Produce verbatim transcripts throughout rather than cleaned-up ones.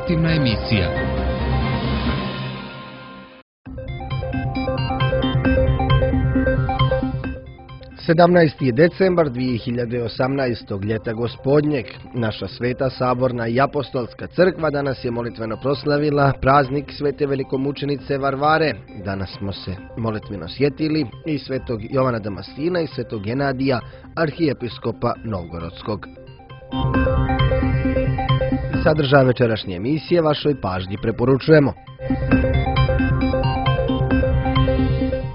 informativna emisija. sedamnaesti je decembar dvije hiljade osamnaestog. ljeta gospodnjeg. Naša sveta saborna i apostolska crkva danas je molitveno proslavila praznik svete velikomučenice Varvare. Danas smo se molitveno sjetili i svetog Jovana Damastina i svetog Genadija, arhijepiskopa Novgorodskog. Sadržaj večerašnje emisije vašoj pažnji preporučujemo.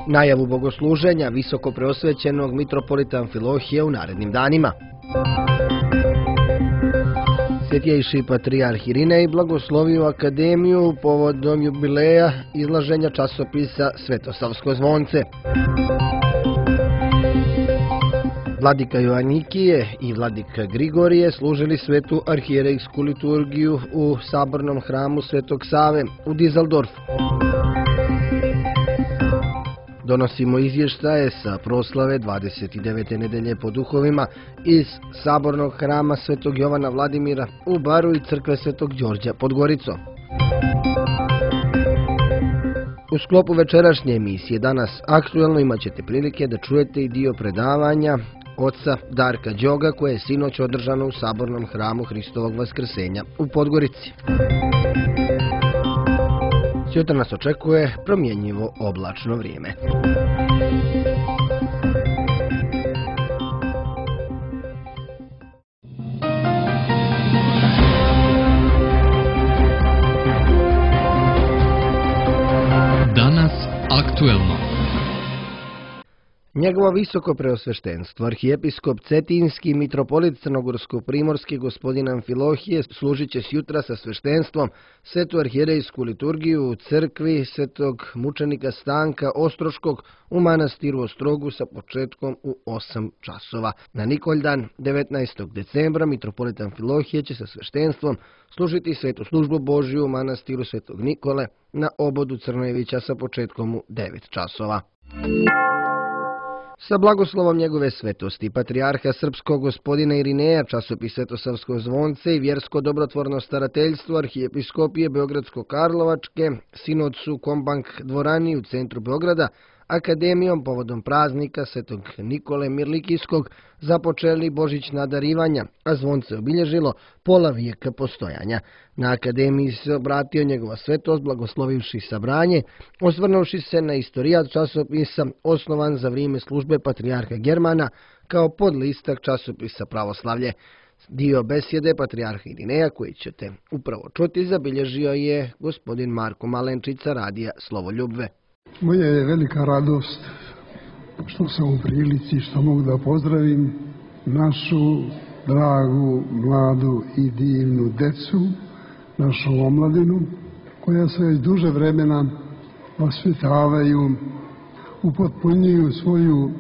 Najavu bogosluženja visoko preosvećenog mitropolita Amfilohije u narednim danima. Svetjejši patrijarh Irinej blagoslovio akademiju povodom jubileja izlaženja časopisa Svetosavsko zvonce. Vladika Joanikije i vladika Grigorije služili svetu arhijerejsku liturgiju u sabornom hramu Svetog Save u Dizeldorfu. Donosimo izvještaje sa proslave dvadeset devete nedelje po duhovima iz sabornog hrama Svetog Jovana Vladimira u Baru i crkve Svetog Đorđa pod Goricom. U sklopu večerašnje emisije danas aktuelno imat ćete prilike da čujete i dio predavanja oca Darka Đoga koje je sinoć održano u sabornom hramu Hristovog Vaskrsenja u Podgorici. Sutra nas očekuje promjenjivo oblačno vrijeme. Danas aktuelno. Njegovo visoko preosveštenstvo, arhijepiskop Cetinski, mitropolit Crnogorsko-primorski gospodin Amfilohije, služit će sjutra sa sveštenstvom svetu arhijerejsku liturgiju u crkvi svetog mučenika Stanka Ostroškog u manastiru Ostrogu sa početkom u osam časova. Na Nikoljdan, devetnaestog decembra, mitropolit Amfilohije će sa sveštenstvom služiti svetu službu Božju u manastiru svetog Nikole na obodu Crnojevića sa početkom u devet časova. Sa blagoslovom njegove svetosti, patrijarha srpskog gospodina Irineja, časopis Svetosavsko zvonce i vjersko dobrotvorno starateljstvo arhijepiskopije Beogradsko-Karlovačke, sinodsu Kombank dvorani u centru Beograda, akademijom povodom praznika svetog Nikole Mirlikijskog započeli božićna darivanja, a zvonce obilježilo pola vijeka postojanja. Na akademiji se obratio njegova svetost blagoslovivši sabranje, osvrnuvši se na istorijat časopisa osnovan za vrijeme službe patrijarha Germana kao podlistak časopisa Pravoslavlje. Dio besjede patrijarha Irineja koji ćete upravo čuti zabilježio je gospodin Marko Malenčica radija Slovoljubve. Moja je velika radost što sam u prilici što mogu da pozdravim našu dragu, mladu i divnu decu, našu omladinu, koja se već duže vremena vaspitavaju, upotpunjuju svoju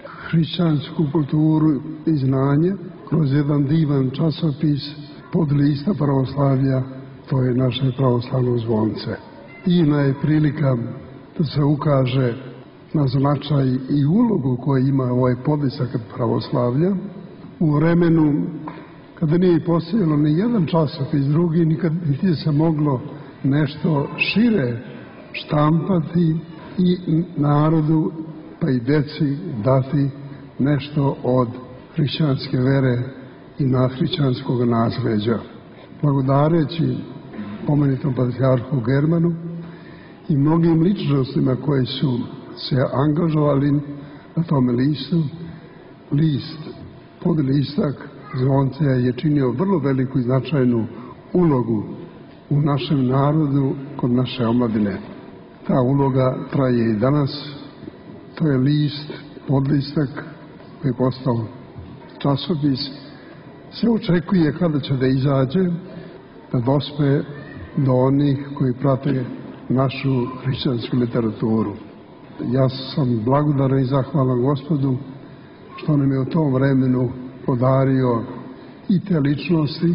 hrišćansku kulturu i znanje kroz jedan divan časopis pod lista pravoslavlja, to je naše pravoslavno zvonce. Divna je prilika da se ukaže na značaj i ulogu koju ima ovaj podlisak pravoslavlja u vremenu kada nije postojalo ni jedan časopis drugi, nikad niti se moglo nešto šire štampati i narodu pa i deci dati nešto od hrišćanske vere i na hrišćanskog nasleđa. Blagodareći pomenitom patrijarhu Germanu i mnogim ličnostima koji su se angažovali na tome listu, list, podlistak zvonce je činio vrlo veliku i značajnu ulogu u našem narodu kod naše omladine. Ta uloga traje i danas. To je list, podlistak koji je postao časopis. Se očekuje kada će da izađe, da dospe do onih koji prate našu hrišćansku literaturu. Ja sam blagodaran i zahvalan Gospodu što nam je u tom vremenu podario i te ličnosti,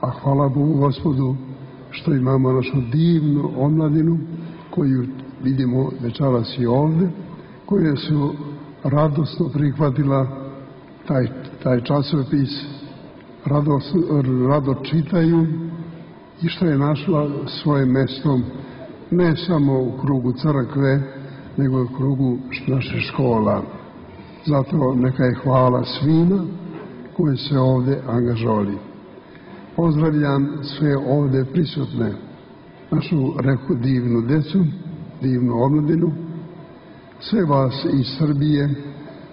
a hvala Bogu Gospodu što imamo našu divnu omladinu koju vidimo večeras i ovde, koje su radosno prihvatila taj, taj časopis, rado, rado čitaju i što je našla svoje mesto ne samo u krugu crkve, nego u krugu naše škola. Zato neka je hvala svima koji se ovdje angažovali. Pozdravljam sve ovdje prisutne, našu reku divnu decu, divnu omladinu, sve vas iz Srbije,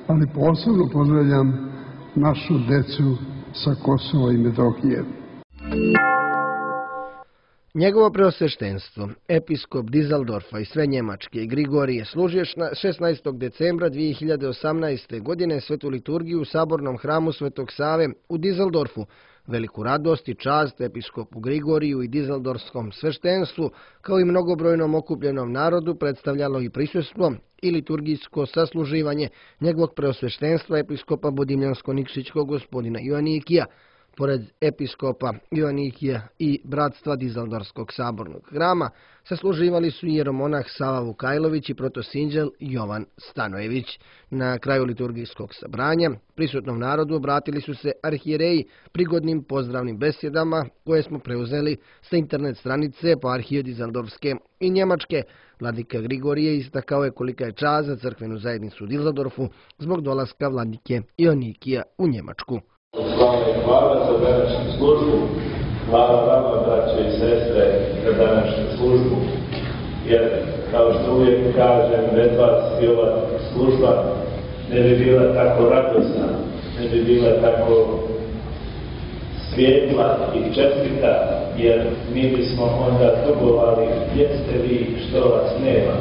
ali posebno pozdravljam našu decu sa Kosova i Metohije. Njegovo preosveštenstvo, episkop Dizeldorfa i sve Njemačke Grigorije, služio šesnaestog decembra dvije hiljade osamnaeste. godine svetu liturgiju u sabornom hramu Svetog Save u Dizeldorfu. Veliku radost i čast episkopu Grigoriju i dizeldorfskom sveštenstvu, kao i mnogobrojnom okupljenom narodu, predstavljalo i prisustvo i liturgijsko sasluživanje njegovog preosveštenstva episkopa Budimljansko-Nikšićkog gospodina Joanikija. Pored episkopa Joanikija i bratstva Dizeldorfskog sabornog hrama, sasluživali su i jeromonah Sava Vukajlović i protosinđel Jovan Stanojević. Na kraju liturgijskog sabranja prisutnom narodu obratili su se arhijereji prigodnim pozdravnim besjedama koje smo preuzeli sa internet stranice Eparhije Dizeldorfske i Njemačke. Vladika Grigorije istakao je kolika je čast za crkvenu zajednicu u Dizeldorfu zbog dolaska vladike Joanikija u Njemačku. Slava i hvala za današnju službu, hvala vama, braće i sestre, za današnju službu, jer, kao što uvijek kažem, bez vas i ova služba ne bi bila tako radosna, ne bi bila tako svijetla i čestita, jer mi bismo onda tugovali gdje ste vi, što vas nema.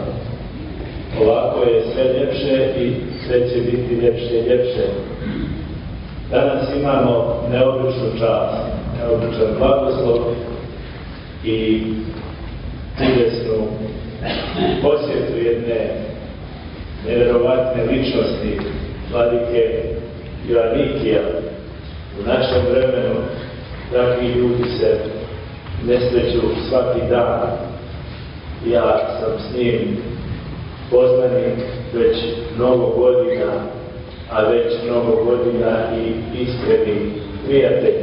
Ovako je sve ljepše i sve će biti ljepše i ljepše. Danas imamo neobičnu čast, neobičan blagoslov i čudesnu posjetu jedne nevjerovatne ličnosti, vladike Joanikija. U našem vremenu takvi ljudi se nesreću svaki dan. Ja sam s njim poznanik već mnogo godina, a već mnogo godina i iskreni prijatelj.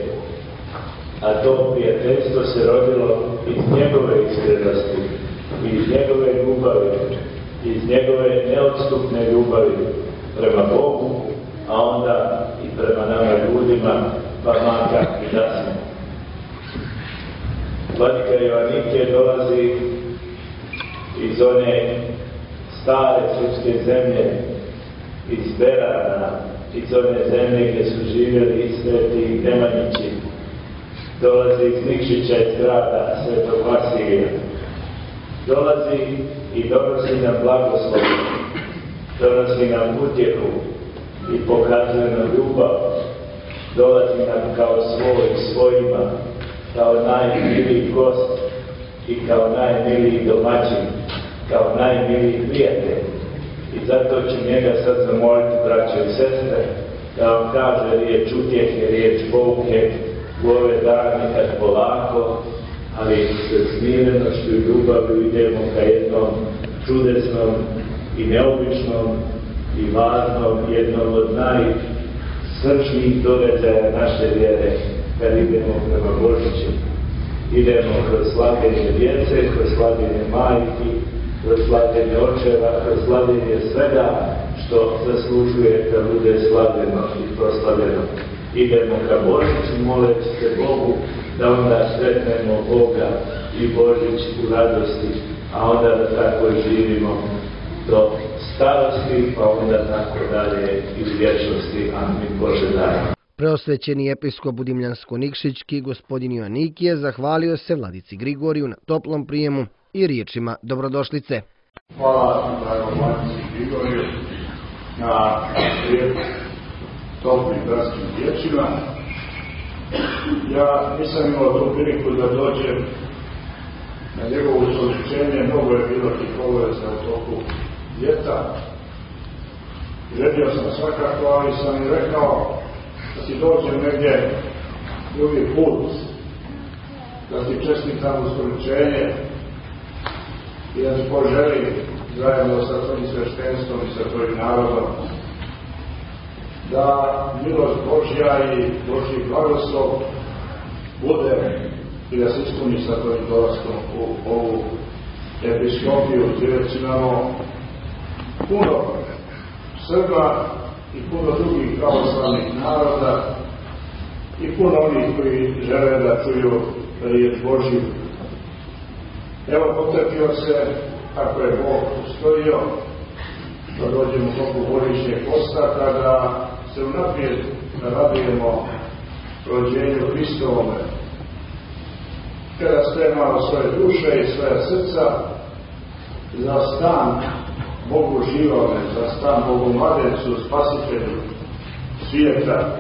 A to prijateljstvo se rodilo iz njegove iskrenosti, iz njegove ljubavi, iz njegove neodstupne ljubavi prema Bogu, a onda i prema nama ljudima, pa makar i da smo. Vladika Joanikije dolazi iz one stare srpske zemlje, iz Berana, iz one zemlje gdje su živjeli i sveti Nemanjići. Dolazi iz Nikšića, iz grada Svetog Vasilija. Dolazi i donosi nam blagoslov, donosi nam utjehu i pokazuje nam ljubav. Dolazi nam kao svoj svojima, kao najmiliji gost i kao najmiliji domaćin, kao najmiliji prijatelj. I zato ću njega sad zamoliti, braćo i sestre, da vam kaže riječ utjehe, riječ pouke u ove dane kad polako, ali sa smirenošću i ljubavlju idemo ka jednom čudesnom i neobičnom i važnom, jednom od najsrčnijih događaja naše vjere, kad idemo prema Božiću. Idemo kroz slavljenje djece, kroz slavljenje majki, kroz slavljenje očeva, kroz slavljenje svega što zaslužuje da bude slavljeno i proslavljeno. Idemo ka Božiću, moleći se Bogu da onda sretnemo Boga i Božić u radosti, a onda da tako živimo do starosti, pa onda tako dalje i u vječnosti. Amin. Bože daj. Preosvećeni episkop Budimljansko-Nikšićki gospodin Joanikije zahvalio se vladici Grigoriju na toplom prijemu i riječima dobrodošlice. Hvala dragom vladici Grigoriju na lijep toplim bratskim riječima. Ja nisam imao tu priliku da dođem na njegovo usoličenje, mnogo je bilo tih obaveza u toku ljeta. Želio sam svakako, ali sam i rekao da ti dođem negdje drugi put, da ti čestitam usoličenje i da ti poželim zajedno sa tvojim sveštenstvom i sa tvojim narodom da milost Božja i Božji blagoslov bude i da se ispuni sa tvojim dolaskom u ovu episkopiju, gdje već imamo puno Srba i puno drugih pravoslavnih naroda i puno onih koji žele da čuju riječ Božju. Evo, potrefio se, kako je Bog ustojio, da dođemo u toku Božićnjeg posta, kada se unaprijed radujemo rođenju Hristovome, kada spremamo svoje duše i svoje srca za stan Bogu živome, za stan Bogu mladencu, spasitelju svijeta,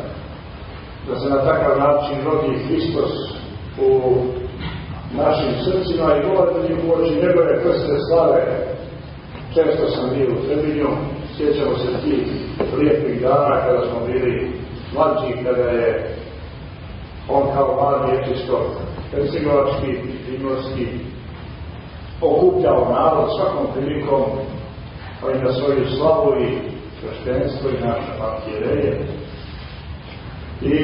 da se na takav način rodi Hristos u našim srcima i gledati u oči njegove krste slave. Često sam bio u Trebinju, sjećamo se tih lijepih dana kada smo bili mlađi, kada je on kao mladi episkop hercegovački i primorski okupljao narod svakom prilikom, pa i na svoju slavu i sveštenstvo i naše arhijereje. I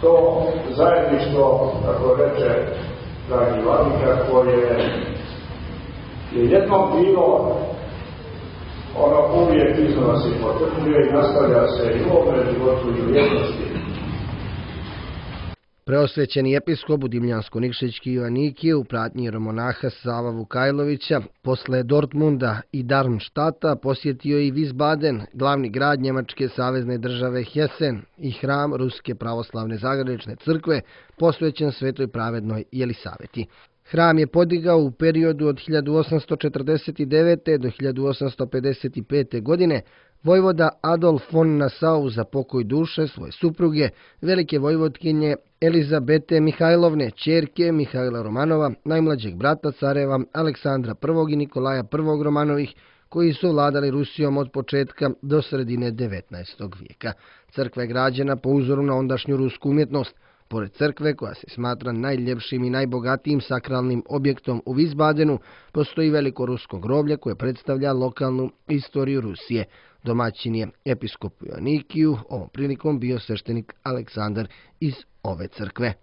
to zajedništvo, kako reče dragi vladika, koje je jednom bilo, ono uvijek iznova se potrpljuje i nastavlja se i u ovome životu i u vječnosti. Preosvećeni episkop Dimljansko-Nikšićki Joanikije u pratnji jeromonaha Sava Vukajlovića posle Dortmunda i Darmstadta posjetio i Wiesbaden, glavni grad njemačke savezne države Hessen i hram Ruske pravoslavne zagranične crkve posvećen Svetoj pravednoj Jelisaveti. Hram je podigao u periodu od hiljadu osamsto četrdeset devete. do hiljadu osamsto pedeset pete. godine vojvoda Adolf von Nassau za pokoj duše svoje supruge, velike vojvodkinje Elizabete Mihajlovne, ćerke Mihajla Romanova, najmlađeg brata careva Aleksandra prvog. i Nikolaja prvog. Romanovih, koji su vladali Rusijom od početka do sredine devetnaestog vijeka. Crkva je građena po uzoru na ondašnju rusku umjetnost. Pored crkve, koja se smatra najljepšim i najbogatijim sakralnim objektom u Wiesbadenu, postoji veliko rusko groblje koje predstavlja lokalnu istoriju Rusije. Domaćin je episkopu Joanikiju, ovom prilikom bio sveštenik Aleksandar iz ove crkve.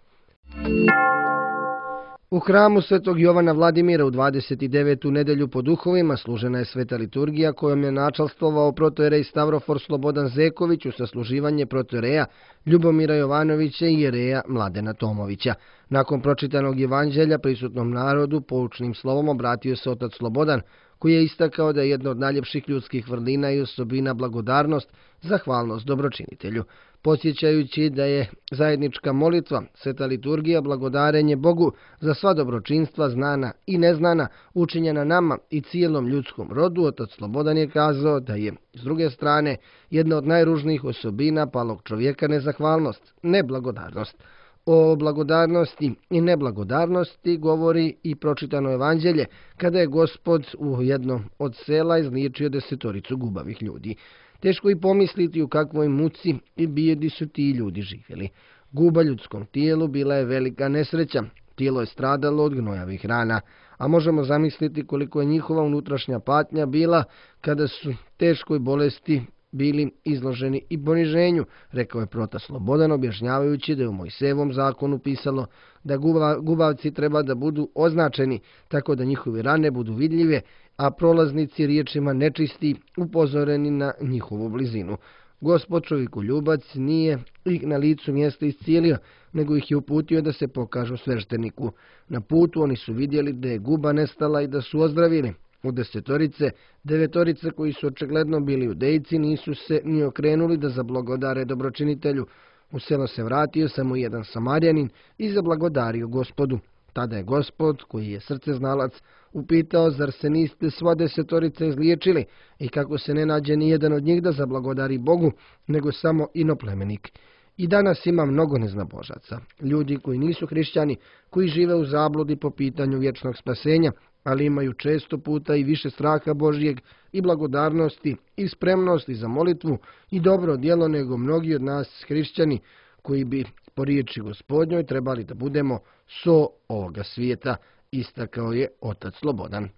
U hramu Svetog Jovana Vladimira u dvadeset devetu nedelju po duhovima služena je sveta liturgija kojom je načalstvovao protojerej Stavrofor Slobodan Zeković u sasluživanje protojereja Ljubomira Jovanovića i jereja Mladena Tomovića. Nakon pročitanog evanđelja prisutnom narodu poučnim slovom obratio se otac Slobodan, koji je istakao da je jedna od najljepših ljudskih vrlina i osobina blagodarnost, zahvalnost dobročinitelju. Podsjećajući da je zajednička molitva, sveta liturgija, blagodarenje Bogu za sva dobročinstva znana i neznana, učinjena nama i cijelom ljudskom rodu, otac Slobodan je kazao da je, s druge strane, jedna od najružnijih osobina palog čovjeka nezahvalnost, neblagodarnost. O blagodarnosti i neblagodarnosti govori i pročitano evanđelje, kada je Gospod u jednom od sela izliječio desetoricu gubavih ljudi. Teško i pomisliti u kakvoj muci i bijedi su ti ljudi živjeli. Guba ljudskom tijelu bila je velika nesreća, tijelo je stradalo od gnojavih rana, a možemo zamisliti koliko je njihova unutrašnja patnja bila kada su teškoj bolesti bili izloženi i poniženju, rekao je protas Slobodan, objašnjavajući da je u Mojsejevom zakonu pisalo da gubavci treba da budu označeni tako da njihove rane budu vidljive, a prolaznici riječima nečisti upozoreni na njihovu blizinu. Gospod čovjeku ljubac nije ih na licu mjesta iscijelio, nego ih je uputio da se pokažu svešteniku. Na putu oni su vidjeli da je guba nestala i da su ozdravili. U desetorice, devetorice koji su očigledno bili judejci nisu se ni okrenuli da zablagodare dobročinitelju. U selo se vratio samo jedan Samarjanin i zablagodario Gospodu. Tada je Gospod, koji je srce znalac, upitao zar se niste sva desetorica izliječili i kako se ne nađe ni jedan od njih da zablagodari Bogu, nego samo inoplemenik. I danas ima mnogo neznabožaca, ljudi koji nisu hrišćani, koji žive u zabludi po pitanju vječnog spasenja, ali imaju često puta i više straha Božjeg i blagodarnosti i spremnosti za molitvu i dobro djelo nego mnogi od nas hrišćani koji bi po riječi Gospodnjoj trebali da budemo so ovoga svijeta, istakao je otac Slobodan.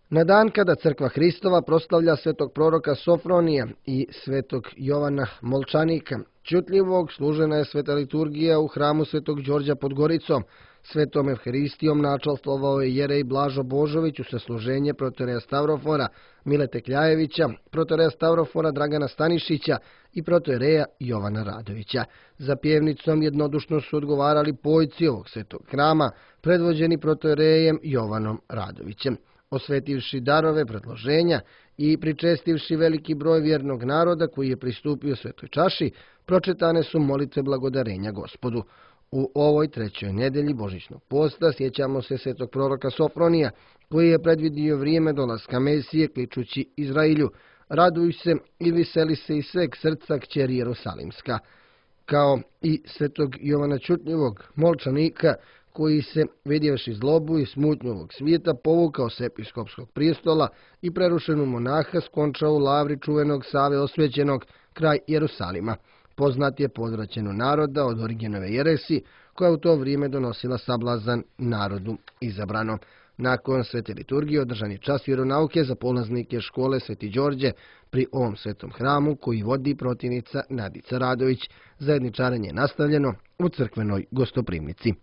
Na dan kada Crkva Hristova proslavlja svetog proroka Sofronija i svetog Jovana Molčanika Čutljivog, služena je sveta liturgija u hramu svetog Đorđa pod Goricom. Svetom Evharistijom načalstvovao je jerej Blažo Božović u sasluženje protoreja Stavrofora Milete Kljajevića, protoreja Stavrofora Dragana Stanišića i protoreja Jovana Radovića. Za pjevnicom jednodušno su odgovarali pojci ovog svetog hrama, predvođeni protorejem Jovanom Radovićem. Osvetivši darove predloženja i pričestivši veliki broj vjernog naroda koji je pristupio svetoj čaši, pročitane su molitve blagodarenja Gospodu. U ovoj trećoj nedelji Božićnog posta sjećamo se svetog proroka Sofronija, koji je predvidio vrijeme dolaska Mesije, kličući Izrailju: raduj se i veseli se iz sveg srca kćeri Jerusalimska. Kao i svetog Jovana Čutljivog, Molčanika, koji se, vidjevši zlobu i smutnju ovog svijeta, povukao s episkopskog prijestola i prerušenu monaha skončao u lavri čuvenog Save Osvećenog kraj Jerusalima. Poznat je po odvraćanju naroda od Origenove jeresi, koja u to vrijeme donosila sablazan narodu izabranom. Nakon svete liturgije održan je čas vjeronauke za polaznike škole Sveti Đorđe pri ovom svetom hramu koji vodi protivnica Nadica Radović. Zajedničarenje je nastavljeno u crkvenoj gostoprimnici.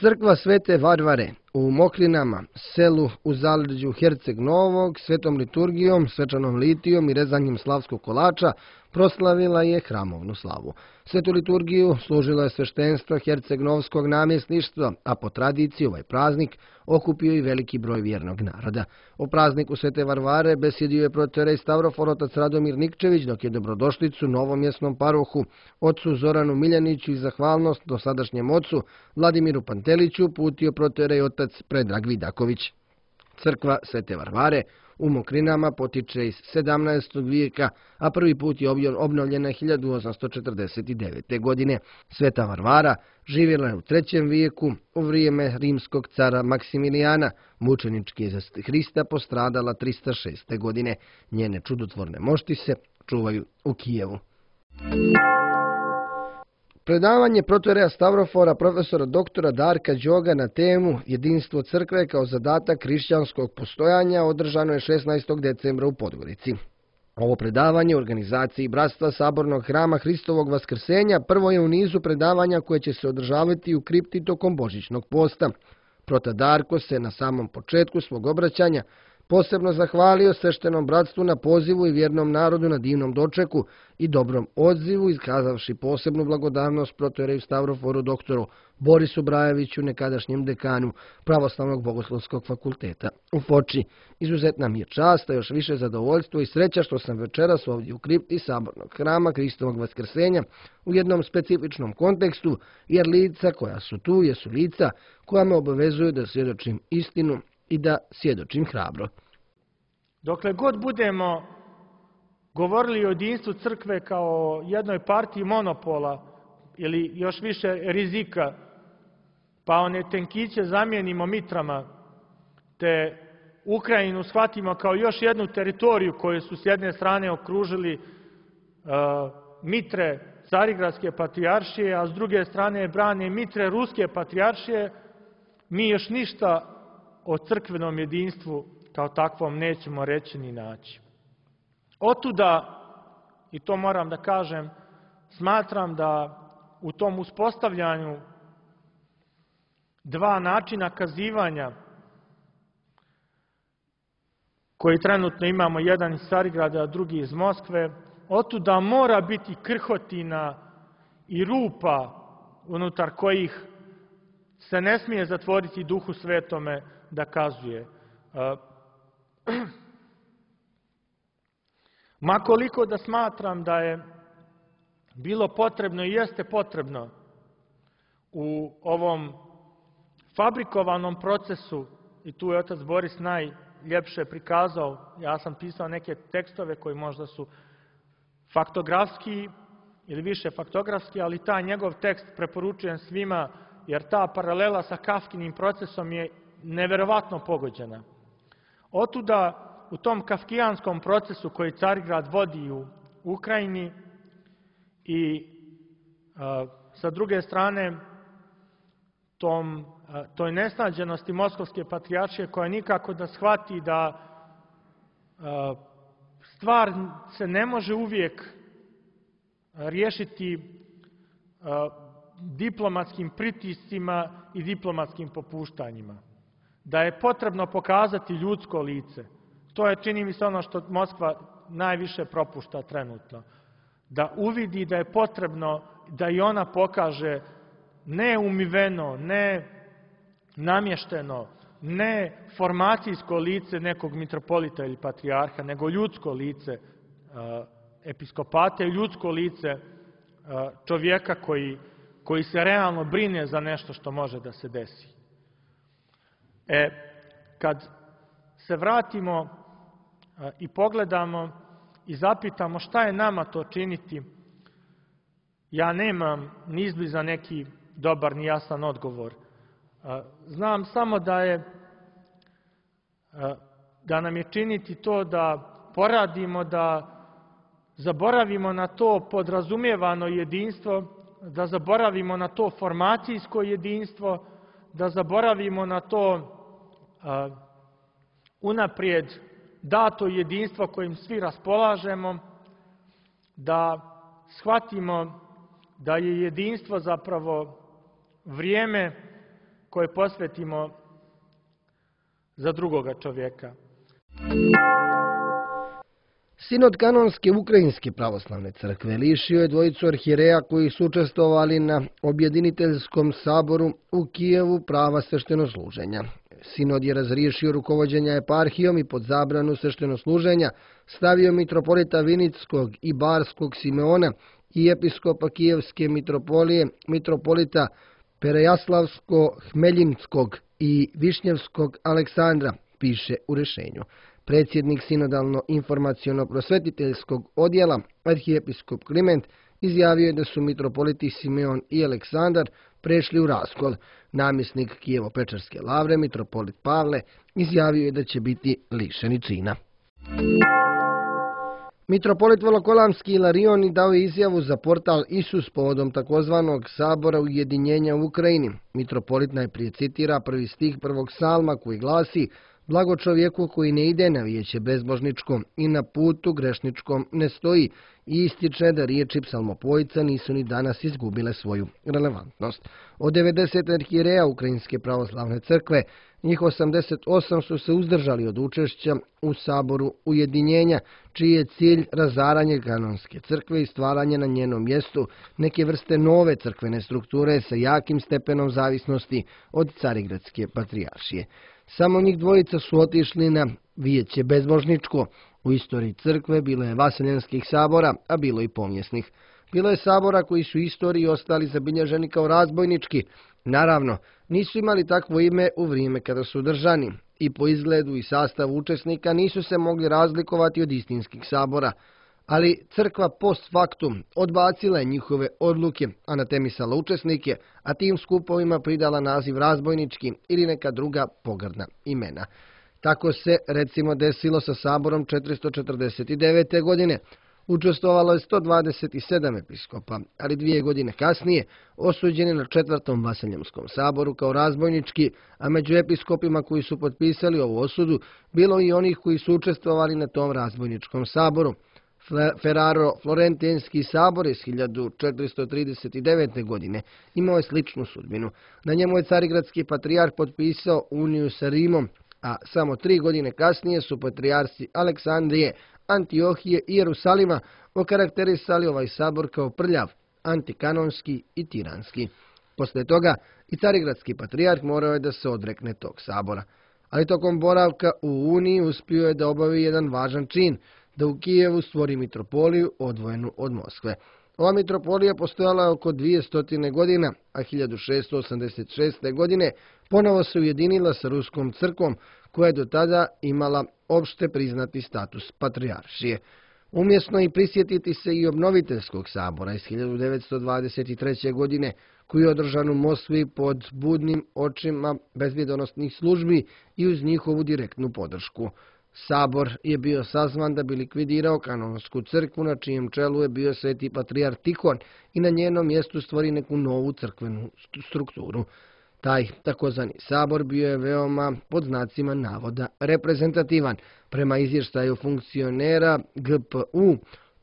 Crkva Svete Varvare u Mokrinama, selu u zaleđu Herceg Novog, svetom liturgijom, svečanom litijom i rezanjem slavskog kolača proslavila je hramovnu slavu. Svetu liturgiju služilo je sveštenstvo Herceg-Novskog namjesništva, a po tradiciji ovaj praznik okupio i veliki broj vjernog naroda. O prazniku Svete Varvare besjedio je protorej Stavrofor otac Radomir Nikčević, dok je dobrodošlicu novomjesnom parohu ocu Zoranu Miljaniću i zahvalnost dosadašnjem ocu Vladimiru Panteliću putio protorej otac Predrag Vidaković. Crkva Svete Varvare u Mokrinama potiče iz sedamnaestog vijeka, a prvi put je obnovljena hiljadu osamsto četrdeset devete. godine. Sveta Varvara živjela je u trećem vijeku u vrijeme rimskog cara Maksimilijana. Mučenički je za Hrista postradala trista šeste. godine. Njene čudotvorne mošti se čuvaju u Kijevu. Predavanje protoreja Stavrofora profesora doktora Darka Đoga na temu Jedinstvo crkve kao zadatak hrišćanskog postojanja održano je šesnaestog decembra u Podgorici. Ovo predavanje u organizaciji Bratstva Sabornog hrama Hristovog Vaskrsenja prvo je u nizu predavanja koje će se održavati u kripti tokom Božićnog posta. Prota Darko se na samom početku svog obraćanja posebno zahvalio sveštenom bratstvu na pozivu i vjernom narodu na divnom dočeku i dobrom odzivu, iskazavši posebnu blagodarnost protoreju Stavroforu doktoru Borisu Brajeviću, nekadašnjem dekanu Pravoslavnog bogoslovskog fakulteta u Foči. Izuzetna mi je čast, a još više zadovoljstvo i sreća što sam večeras ovdje u kripti Sabornog hrama Hristovog Vaskrsenja u jednom specifičnom kontekstu, jer lica koja su tu jesu lica koja me obavezuju da svjedočim istinu i da svjedočim hrabro. Dokle god budemo govorili o jedinstvu crkve kao jednoj partiji monopola ili još više rizika, pa one tenkiće zamijenimo mitrama, te Ukrajinu shvatimo kao još jednu teritoriju koju su s jedne strane okružili uh, mitre Carigradske patrijaršije, a s druge strane brane mitre Ruske patrijaršije, mi još ništa o crkvenom jedinstvu kao takvom nećemo reći ni naći. Otuda, i to moram da kažem, smatram da u tom uspostavljanju dva načina kazivanja koji trenutno imamo, jedan iz Carigrada, a drugi iz Moskve, otuda mora biti krhotina i rupa unutar kojih se ne smije zatvoriti Duhu Svetome da kazuje. Makoliko da smatram da je bilo potrebno i jeste potrebno u ovom fabrikovanom procesu, i tu je otac Boris najljepše prikazao, ja sam pisao neke tekstove koji možda su faktografski ili više faktografski, ali taj njegov tekst preporučujem svima, jer ta paralela sa Kafkinim procesom je neverovatno pogođena. Otuda, u tom kafkijanskom procesu koji Carigrad vodi u Ukrajini i a, sa druge strane tom, toj nesnađenosti Moskovske patrijaršije koja nikako da shvati da stvar se ne može uvijek riješiti diplomatskim pritiscima i diplomatskim popuštanjima. Da je potrebno pokazati ljudsko lice. To je, čini mi se, ono što Moskva najviše propušta trenutno. Da uvidi da je potrebno da i ona pokaže ne umiveno, ne namješteno, ne formacijsko lice nekog mitropolita ili patrijarha, nego ljudsko lice episkopata i ljudsko lice čovjeka koji, koji se realno brine za nešto što može da se desi. E, kad se vratimo i pogledamo i zapitamo šta je nama to činiti, ja nemam ni izbliza neki dobar ni jasan odgovor. Znam samo da je da nam je činiti to da poradimo, da zaboravimo na to podrazumijevano jedinstvo, da zaboravimo na to formacijsko jedinstvo, da zaboravimo na to uh, unaprijed dato jedinstvo kojim svi raspolažemo, da shvatimo da je jedinstvo zapravo vrijeme koje posvetimo za drugoga čovjeka. Sinod kanonske Ukrajinske pravoslavne crkve lišio je dvojicu arhijereja koji su učestvovali na objediniteljskom saboru u Kijevu prava sveštenosluženja. Sinod je razriješio rukovođenja eparhijom i pod zabranu sveštenosluženja stavio mitropolita Vinickog i Barskog Simeona i episkopa Kijevske mitropolije, mitropolita Perejaslavsko-Hmeljinskog i Višnjevskog Aleksandra, piše u rješenju. Predsjednik sinodalno-informaciono-prosvetiteljskog odjela, arhijepiskop Kliment, izjavio je da su mitropoliti Simeon i Aleksandar prešli u raskol. Namjesnik Kijevo-Pečarske lavre, mitropolit Pavle, izjavio je da će biti lišeni čina. Mitropolit Volokolamski Ilarion dao je izjavu za portal Isus povodom takozvanog sabora ujedinjenja u Ukrajini. Mitropolit najprije citira prvi stih prvog psalma koji glasi: "Blago čovjeku koji ne ide na vijeće bezbožničkom i na putu grešničkom ne stoji", i ističe da riječi psalmopojca nisu ni danas izgubile svoju relevantnost. Od devedeset arhijereja Ukrajinske pravoslavne crkve, njih osamdeset osam su se uzdržali od učešća u saboru ujedinjenja, čiji je cilj razaranje kanonske crkve i stvaranje na njenom mjestu neke vrste nove crkvene strukture sa jakim stepenom zavisnosti od Carigradske patrijaršije. Samo njih dvojica su otišli na vijeće bezbožničko. U istoriji crkve bilo je vaseljenskih sabora, a bilo i pomjesnih. Bilo je sabora koji su u istoriji ostali zabilježeni kao razbojnički. Naravno, nisu imali takvo ime u vrijeme kada su držani. I po izgledu i sastavu učesnika nisu se mogli razlikovati od istinskih sabora. Ali crkva post factum odbacila je njihove odluke, anatemisala učesnike, a tim skupovima pridala naziv razbojnički ili neka druga pogrdna imena. Tako se, recimo, desilo sa saborom četiristo četrdeset devete. godine. Učestvovalo je sto dvadeset sedam episkopa, ali dvije godine kasnije osuđeni na četvrtom Vaseljemskom saboru kao razbojnički, a među episkopima koji su potpisali ovu osudu bilo i onih koji su učestvovali na tom razbojničkom saboru. Ferraro Florentinski sabor iz hiljadu četiristo trideset devete. godine imao je sličnu sudbinu. Na njemu je carigradski patrijarh potpisao uniju sa Rimom, a samo tri godine kasnije su patrijarsi Aleksandrije, Antiohije i Jerusalima okarakterisali ovaj sabor kao prljav, antikanonski i tiranski. Poslije toga i carigradski patrijarh morao je da se odrekne tog sabora. Ali tokom boravka u Uniji uspio je da obavi jedan važan čin, da u Kijevu stvori mitropoliju odvojenu od Moskve. Ova mitropolija postojala je oko dvjesto godina, a hiljadu šeststo osamdeset šeste. godine ponovo se ujedinila sa Ruskom crkvom, koja je do tada imala opšte priznati status patrijaršije. Umjesno i prisjetiti se i obnoviteljskog sabora iz hiljadu devetsto dvadeset treće. godine, koji je održan u Moskvi pod budnim očima bezbjedonosnih službi i uz njihovu direktnu podršku. Sabor je bio sazvan da bi likvidirao kanonsku crkvu, na čijem čelu je bio sveti patrijarh Tihon, i na njenom mjestu stvori neku novu crkvenu strukturu. Taj takozvani sabor bio je veoma, pod znacima navoda, reprezentativan. Prema izvještaju funkcionera G P U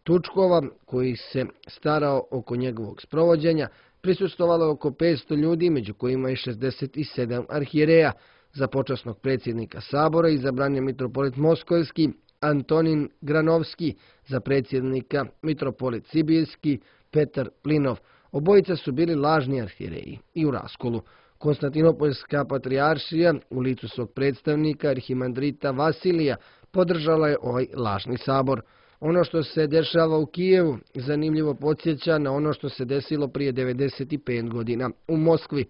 Tučkova, koji se starao oko njegovog sprovođenja, prisustvovalo je oko petsto ljudi, među kojima je šezdeset sedam arhijereja. Za počasnog predsjednika sabora izabran je mitropolit Moskovski Antonin Granovski, za predsjednika mitropolit Sibirski Petar Plinov. Obojica su bili lažni arhijereji i u raskolu. Konstantinopoljska patrijaršija u licu svog predstavnika arhimandrita Vasilija podržala je ovaj lažni sabor. Ono što se dešava u Kijevu zanimljivo podsjeća na ono što se desilo prije devedeset pet godina u Moskvi.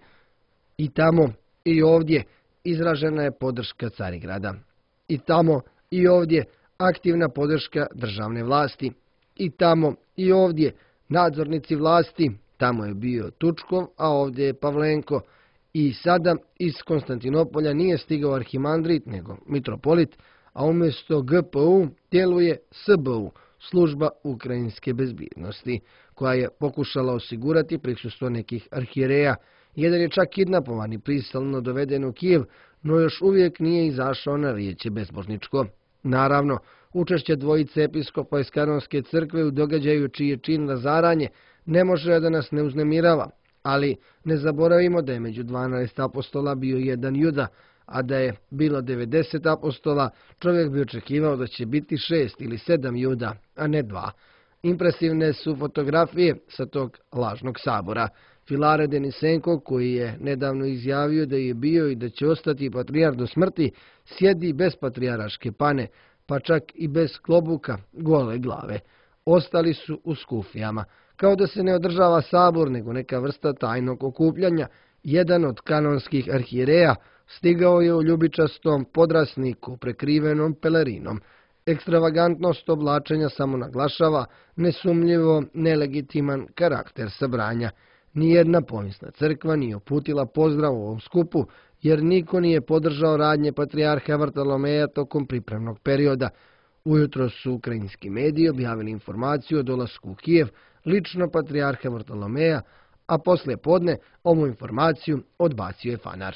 I tamo i ovdje izražena je podrška Carigrada. I tamo i ovdje aktivna podrška državne vlasti. I tamo i ovdje nadzornici vlasti. Tamo je bio Tučkov, a ovdje je Pavlenko. I sada iz Konstantinopolja nije stigao arhimandrit, nego mitropolit, a umjesto G P U djeluje S B U, služba ukrajinske bezbjednosti, koja je pokušala osigurati prisustvo nekih arhijereja. Jedan je čak kidnapovan i prisilno doveden u Kijev, no još uvijek nije izašao na vijeće bezbožničko. Naravno, učešće dvojice episkopa iz Kanonske crkve u događaju čiji je čin razaranje ne može da nas ne uznemirava, ali ne zaboravimo da je među dvanaest apostola bio jedan Juda, a da je bilo devedeset apostola, čovjek bi očekivao da će biti šest ili sedam Juda, a ne dva. Impresivne su fotografije sa tog lažnog sabora. Filare Denisenko, koji je nedavno izjavio da je bio i da će ostati patrijar do smrti, sjedi bez patrijaraške pane, pa čak i bez klobuka, gole glave. Ostali su u skufijama. Kao da se ne održava sabor, nego neka vrsta tajnog okupljanja. Jedan od kanonskih arhijereja stigao je u ljubičastom podrasniku prekrivenom pelerinom. Ekstravagantnost oblačenja samo naglašava nesumnjivo nelegitiman karakter sabranja. Nijedna pomisna crkva nije uputila pozdrav u ovom skupu, jer niko nije podržao radnje patrijarha Vartolomeja tokom pripremnog perioda. Ujutro su ukrajinski mediji objavili informaciju o dolasku u Kijev lično patrijarha Vartolomeja, a poslije podne ovu informaciju odbacio je Fanar.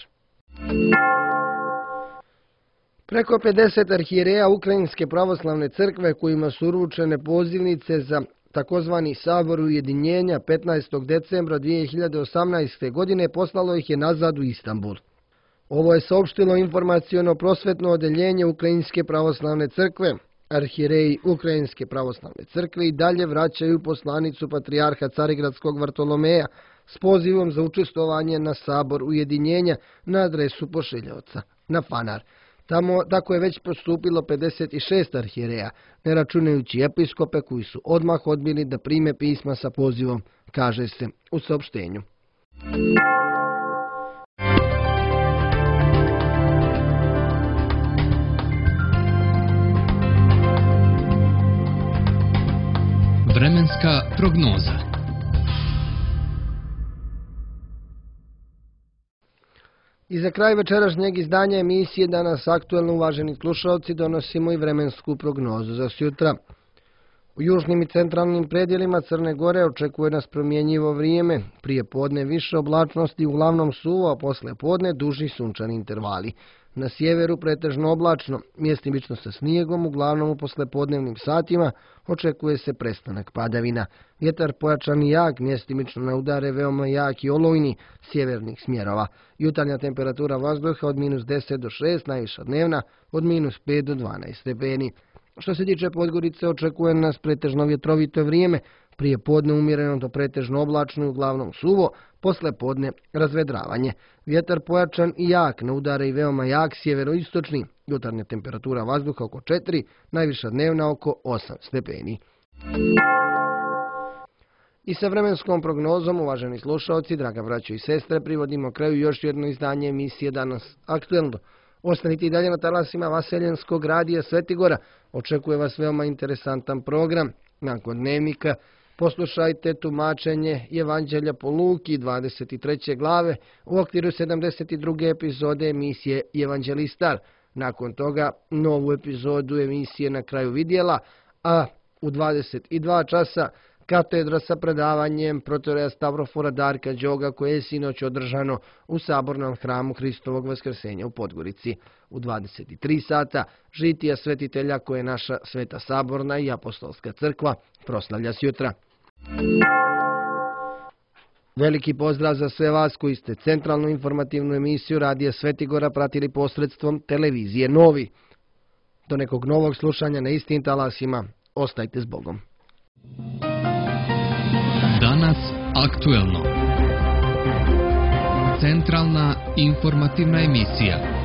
Preko pedeset arhijereja Ukrajinske pravoslavne crkve kojima su uručene pozivnice za takozvani sabor ujedinjenja petnaestog decembra dvije hiljade osamnaeste. godine poslalo ih je nazad u Istanbul. Ovo je saopštilo informaciono prosvetno odeljenje Ukrajinske pravoslavne crkve. Arhijereji Ukrajinske pravoslavne crkve i dalje vraćaju poslanicu patrijarha Carigradskog Vartolomeja s pozivom za učestvovanje na sabor ujedinjenja na adresu pošiljaoca, na Fanar. Tamo tako je već postupilo pedeset šest arhijereja, ne računajući episkope koji su odmah odbili da prime pisma sa pozivom, kaže se u saopštenju. Vremenska prognoza. I za kraj večerašnjeg izdanja emisije Danas aktuelno, uvaženi slušalci, donosimo i vremensku prognozu za sutra. U južnim i centralnim predjelima Crne Gore očekuje nas promjenjivo vrijeme, prije podne više oblačnosti, uglavnom suvo, a posle podne duži sunčani intervali. Na sjeveru pretežno oblačno, mjestimično sa snijegom, uglavnom u poslepodnevnim satima očekuje se prestanak padavina. Vjetar pojačan i jak, mjestimično na udare veoma jak i olujni sjevernih smjerova. Jutarnja temperatura vazduha od minus deset do šest, najviša dnevna od minus pet do dvanaest stepeni. Što se tiče Podgorice, očekuje nas pretežno vjetrovito vrijeme, prije podne umjereno do pretežno oblačno i uglavnom suvo, posle podne razvedravanje. Vjetar pojačan i jak, na udare i veoma jak sjeveroistočni, jutarnja temperatura vazduha oko četiri, najviša dnevna oko osam stepeni. I sa vremenskom prognozom, uvaženi slušalci, draga braćo i sestre, privodimo kraju još jedno izdanje emisije Danas aktuelno. Ostanite i dalje na talasima Vaseljenskog radija Svetigora. Očekuje vas veoma interesantan program. Nakon dnevnika poslušajte tumačenje Evanđelja po Luki dvadeset treće glave u okviru sedamdeset druge epizode emisije Evanđelistar. Nakon toga novu epizodu emisije Na kraju vidjela, a u dvadeset dva časa katedra sa predavanjem protoreja Stavrofora Darka Đoga koje je sinoć održano u sabornom hramu Hristovog vaskrsenja u Podgorici. U dvadeset tri sata žitija svetitelja koje naša Sveta saborna i apostolska crkva proslavlja sjutra. Veliki pozdrav za sve vas koji ste centralnu informativnu emisiju Radija Svetigora pratili posredstvom televizije Novi. Do nekog novog slušanja na istim talasima, ostajte s Bogom. Danas aktuelno. Centralna informativna emisija.